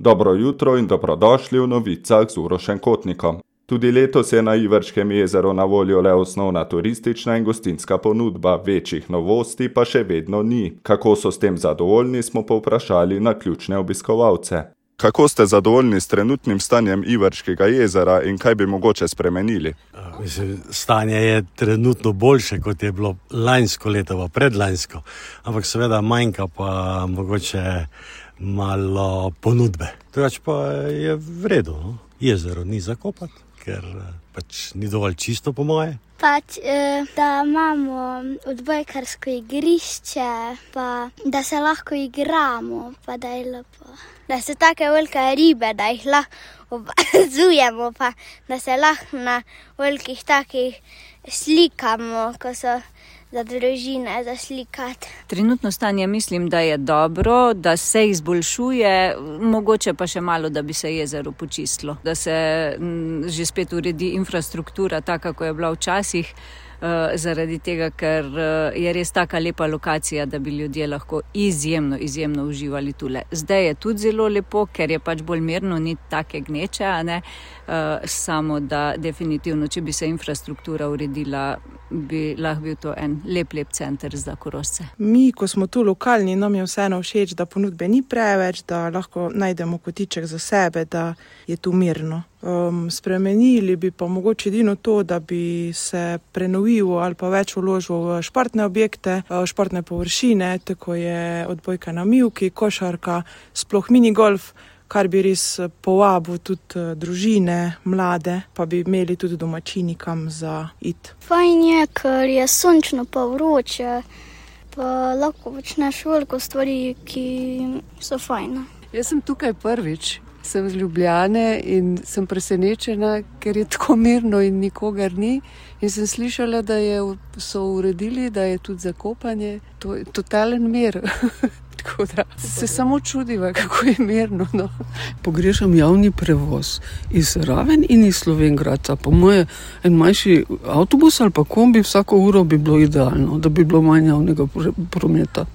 Dobro jutro in dobrodošli v novicah z Urošem Kotnikom. Tudi letos je na Iverškem jezeru na voljo le osnovna turistična in gostinska ponudba, večjih novosti pa še vedno ni. Kako so s tem zadovoljni, smo povprašali naključne obiskovalce. Kako ste zadovoljni s trenutnim stanjem Iverškega jezera in kaj bi mogoče spremenili? Stanje je trenutno boljše, kot je bilo lansko leto, pa predlansko, ampak seveda manjka pa mogoče malo ponudbe. Drugače pa je v redu, no? Jezero ni zakopati, ker pač ni dovolj čisto po moje. Da imamo odbojkarsko igrišče, pa da se lahko igramo, pa da je lepo. Da so take velike ribe, da jih lahko opazujemo, pa da se lahko na velikih takih slikamo, ko so za družine za slikati. Trenutno stanje mislim, da je dobro, da se izboljšuje, mogoče pa še malo, da bi se jezero počistilo. Da se že spet uredi infrastruktura, taka, ko je bila včasih, zaradi tega, ker je res taka lepa lokacija, da bi ljudje lahko izjemno uživali tule. Zdaj je tudi zelo lepo, ker je pač bolj mirno, ni take gneče, a ne? Samo da definitivno, če bi se infrastruktura uredila, bi lahko bil to en lep center za Korošce. Mi, ko smo tu lokalni, nam je vseeno všeč, da ponudbe ni preveč, da lahko najdemo kotiček za sebe, da je tu mirno. Spremenili bi pa mogoče edino to, da bi se prenovilo ali pa več vložilo v športne objekte, športne površine, tako je odbojka na mivki, košarka, sploh minigolf, kar bi res povabil tudi družine, mlade, pa bi imeli tudi domačini kam za iti. Fajn je, ker je sončno pa vroče, pa lahko počneš veliko stvari, ki so fajne. Jaz sem tukaj prvič. Sem z Ljubljane in sem presenečena, ker je tako mirno in nikogar ni. In sem slišala, da so uredili, da je tudi zakopanje. To je totalen mir. Tako da se samo čudiva, kako je mirno. No. Pogrešam javni prevoz iz Raven in iz Slovenj Gradca. Po moje en manjši avtobus ali pa kombi vsako uro bi bilo idealno, da bi bilo manj javnega prometa.